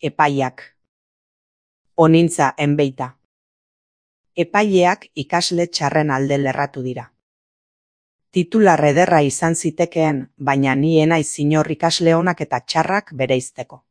Epaiak. Onintza enbeita. Epaileak ikasle txarren alde lerratu dira. Titular ederra izan zitekeen, baina ni enaiz inor ikasle onak eta txarrak bereizteko.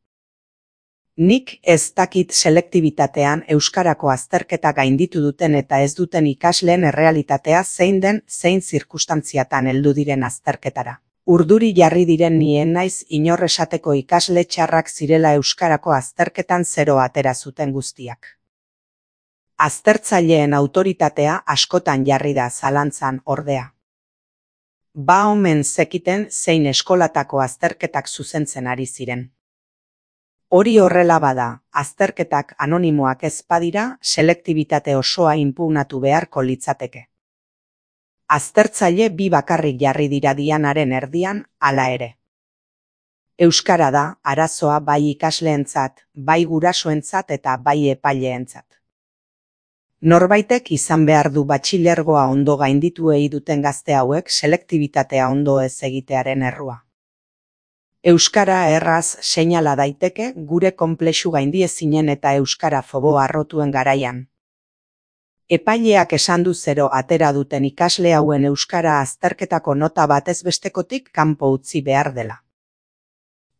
Nik ez dakit selektibitatean euskarako azterketa gainditu duten eta ez duten ikasleen errealitatea zein den, zein zirkustantziatan heldu diren azterketara. Urduri jarri diren ni enaiz inor esateko ikasle txarrak zirela euskarako azterketan 0 atera zuten guztiak. Aztertzaileen autoritatea askotan jarri da zalantzan, ordea. Ba omen zekiten zein eskolatako azterketak zuzentzen ari ziren. Hori horrela bada, azterketak anonimoak ez badira, selektibitate osoa inpugnatu beharko litzateke. Aztertzaile bi bakarrik jarri dira dianaren erdian, hala ere. Euskara da arazoa bai ikasleentzat, bai gurasoentzat eta bai epaileentzat. Norbaitek izan behar du batxilergoa ondo gainditu duten gazte hauek selektibitatea ondo ez egitearen errua. Euskara erraz seinala daiteke gure konplexu gaindiezinen eta euskara fobo harrotuen garaian. Epaileak esan du 0 atera duten ikasle hauen euskara azterketako nota batez bestekotik kanpo utzi behar dela.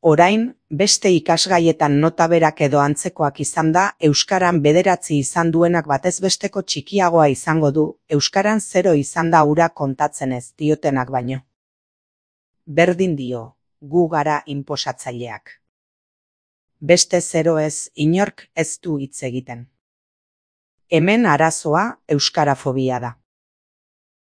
Orain, beste ikasgaietan nota berak edo antzekoak izan da, euskaran 9 izan duenak batez besteko txikiagoa izango du, euskaran 0 izan da hura kontatzen ez diotenak baino. Berdin dio, gu gara inposatzaileak. Beste 0 ez, inork ez du hitz egiten. Hemen arazoa euskarafobia da.